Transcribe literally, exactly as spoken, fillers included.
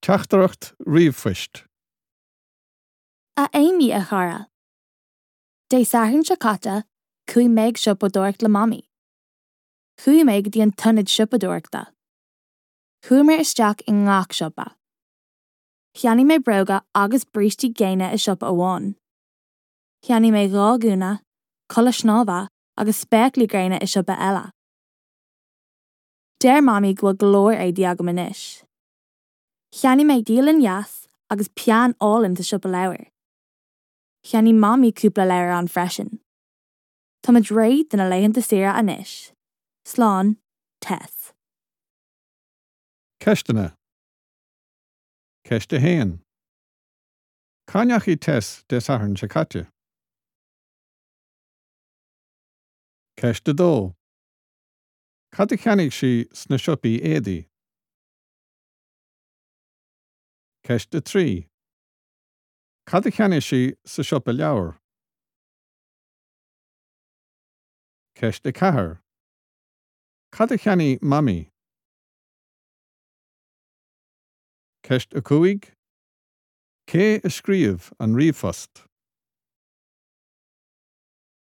Teachtaireacht ríomhphoist. A Amy a chara. Dé Sathairn seo caite, chuaigh mé ag siopadóireacht le Mamaí. Chuaigh mé go dtí an t-ionad siopadóireachta. Chuamar isteach i ngach siopa. Cheannaigh mé bróga agus brístí géine i siopa amháin. Cheannaigh mé dhá ghúna, culaith snámha agus spéaclaí gréine i siopa eile. Deir Mamaí go bhfuil go leor éadaí agam anois. Cheannaigh mé dialann dheas agus peann álainn sa siopa leabhar. Cheannaigh Mamaí cúpla leabhar ann freisin. Táimid réidh do na laethanta saoire anois. Slán, Tess. Ceisteanna. Ceist a haon. Cá ndeachaigh Tess Dé Sathairn seo caite? Ceist a dó. Cad a cheannaigh sí sna siopaí éadaí? Ceist a trí. Cad a cheannaigh sí sa siopa leabhar? Ceist a ceathair. Cad a cheannaigh Mamaí? Ceist a cúig. Cé a scríobh an ríomhphost?